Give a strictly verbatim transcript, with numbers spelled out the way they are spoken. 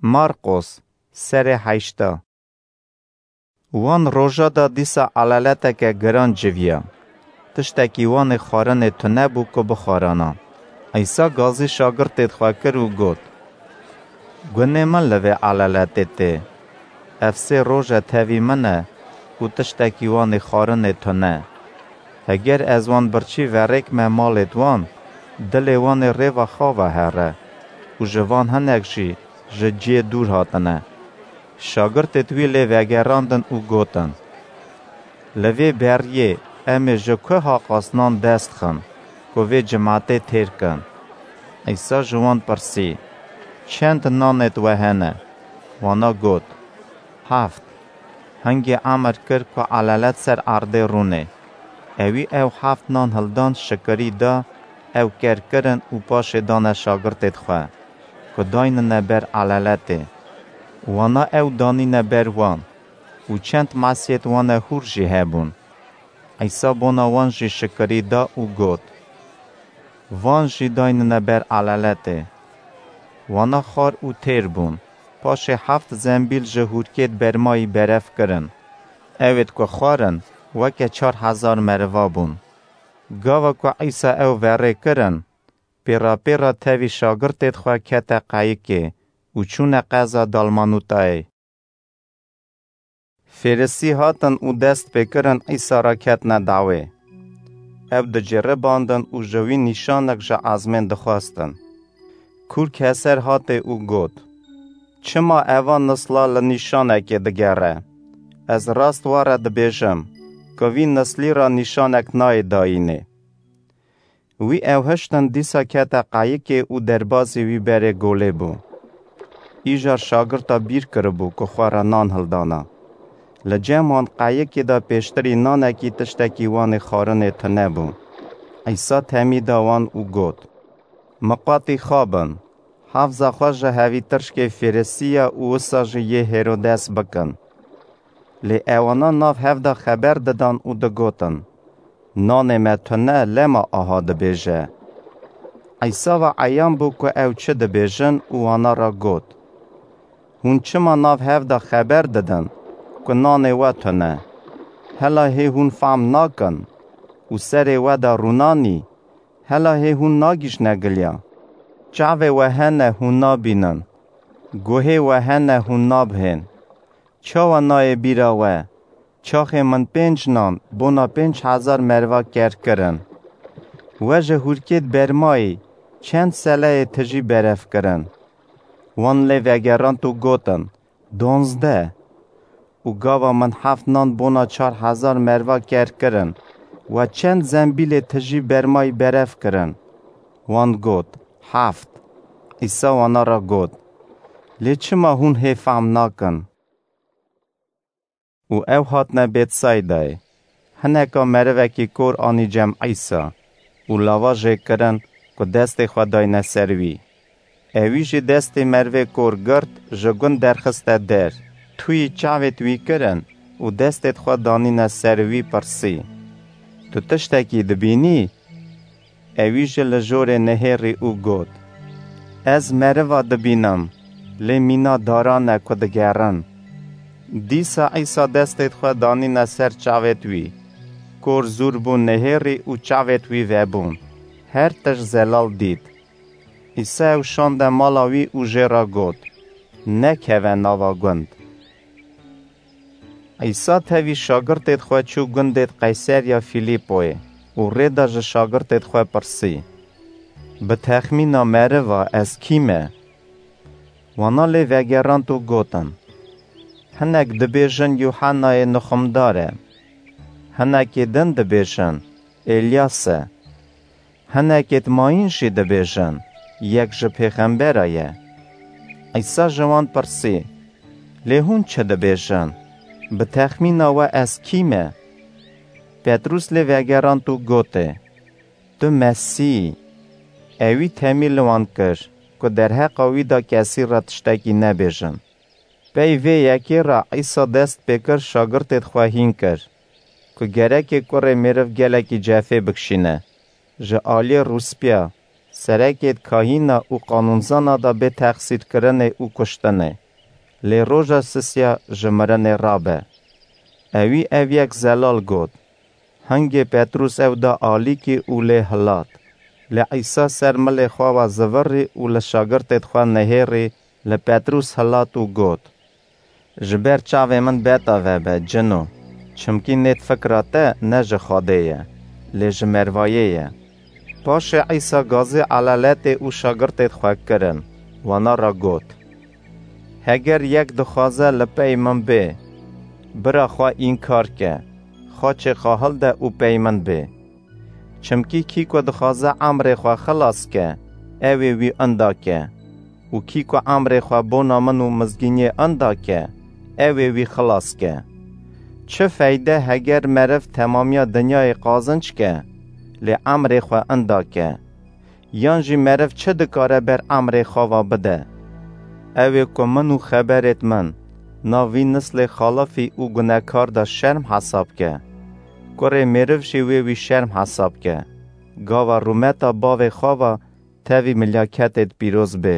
Marqos, serê heşta. Wan roja de dîsa elaleteke giran civiya. Tiştekî wan ê xwarinê tune bû ku bixwarana. Îsa gazî şagirtê xwe kir û got, Gunê min li vê elaletê tê. Ev sê roj e tevî min e û tiştekî wan ê xwarinê tune. Heger ez wan birçî verêkme malêt wan, dilê wan ê rêva xava here û ji van hinek jî ji ciyê dûr hatine. Şagirtêt wî lê vegerandin û gotin, Li vê beriyê em ê ji ku haqas nan dest xin, ku vê cimatê têr kin? Îsa ji wan pirsî, Çend nanêt we hene? Wana got, Heft. Hingê emir kir ku elalet ser erdê rûnê. Ewî ew heft nan hildan, şikirî da, ew ker kirin û paşê dane şagirtêt xwe, ku daynine ber elaletê. Wana ew danîne ber wan û çend mesiyêt wane hûr jî hebûn. Îsa bona wan jî şikirî da û got, Van jî daynine ber elaletê. Wana xwar û têr bûn. Paşê heft zembîl ji hûrkêt bermayî berev kirin. Ewêt ku xwarin, weke çar hezar meriva bûn. Gava ku Îsa ew verê kirin, pêra pêra tevî şagirtêt xwe kete qeyikê û çûne qeza Dalmanûtayê. Fêrisî hatin û dest pê kirin Îsa re ketine dawê. Ew diceribandin û ji wî nîşanek ji ezmên dixwestin. Kûr keser hatê û got, Çima eva nisla li nîşanekê digere? Ez rast we re dibêjim, ku vî nislî re nîşanek nayê dayînê. Wî ew hiştin dîsa kete qeyikê û derbazî wî berê golê bû. Îcar şagirta bîr kiribû ku xwe re nan hildana. Li cem wan qeyikê de pêştirî nanekî tiştekî wan ê xwarinê tune bû. Îsa temî da wan û got, Miqatî xwe bin, hafza xwe ji hevîtirşkê Fêrisiya û wisa jî yê Hêrodes bikin. Lê ewana nav hev de xeber didan û digotin, Nanê me tune, lema aha dibêje. Îsa ve eyan bû ku ew çi dibêjin û wana re got, Hûn çima nav hev de xeber didin ku nanê we tune? Hela hê hûn fehm nakin û serê we de rûnanî? Hela hê hûn nagihîjne giliya? Çavê we hene hûn nabînin, guhê we hene hûn nabihên. Çawa nayê bîra we, çaxê min pênc nan bona pênc hezar meriva ker kirin? We ji hûrkêt bermayî çend seleyê tijî berev kirin? Wan lê vegerand û gotin, Donzdeh. Û gava min heft nan bona çar hezar meriva ker kirin, we çend zembîlê tijî bermayî berev kirin? Wan got, Heft. Îsa wana re got, Lê çima hûn hê fehm nakin? Û ew hatine Bêtsaydayê. Hineka merivekî kor anî cem Îsa û lava jê kirin ku destê xwe dayne ser wî. Ewî jî destê merivê kor girt, ji gund derxiste der, tuyî çavêt wî kirin û destêt xwe danîne ser wî, pirsî, Tu tiştekî dibînî? Ewî jî li jorê nihêrî û got, Ez meriva dibînim, lê mîna daran e ku digerin. Dîsa Îsa destêt xwe danîne ser çavêt wî. Kor zûr bû nihêrî û çavêt wî vebûn. Her tişt zelal dît. Îsa ew şande mala wî û jê re got, Nekeve nava gund. Îsa tevî şagirtêt xwe çû gundêt Qeyseriya Fîlîpoyê û rê de ji şagirtêt xwe pirsî, Bi texmîna meriva ez kî me? Wana lê vegerand û gotin, Hinek dibêjin Yuhennayê Nixumdar e. Hinekê din dibêjin, Elyas e. Hinekêt mayîn jî dibêjin, Yek ji pêxembera ye. Îsa ji wan pirsî, Lê hûn çi dibêjin? Bi texmîna we ez kî me? Petrûs lê vegerand û gotê, Tu Mesîh î. Ewî temî li wan kir ku derheqa wî de kesî re tiştekî nebêjin. Pey vê yekê re Îsa dest pê kir şagirtêt xwe hîn kir ku gerekê kurê mêriv gelekî cefê bikişîne, ji aliyê rûspîya, serekêd kahîna û qanûnzana da bê texsîrkirinê û kuştinê, lê roja sisiya ji mirinê rabe. Ewî ev yek zelal got. Hingê Petrûs ew da alîkî û lê hilat. Lê Îsa ser milê xwe ve zivirî û li şagirtêd xwe nihêrî li Petrûs hilat û got, "Ji ber çavê min beta vebe, cino, çimkî nêt fikra te ne ji Xwedê ye, lê ji mervayê ye." Paşê Îsa gazê elaletê û şagirtêd xwe kirin, wana ra got, "Heger yek dixwaze li pey min bê, bira xwe înkar ke, xaçê xwe hilde û pey min bê. Çimkî kî ku dixwaze emrê xwe xilas ke, ew ê wî inda ke. Û kî ku emrê xwe bona min û mizgîniyê inda ke, ew ê wî xilas ke. Çi feyde heger meriv temamiya dinyayê qazinc ke, lê emrê xwe inda ke? Yan jî meriv çi dikare ber emrê xwe ve bide? Ew ê ku min û xeberêd min nav vî nislê xalifî û gunekar de şerm hesab ke. Kurê mêriv jî wê wî şerm hesab ke. Gava rûmeta bavê xwe ve tevî milyaketêd pîroz bê."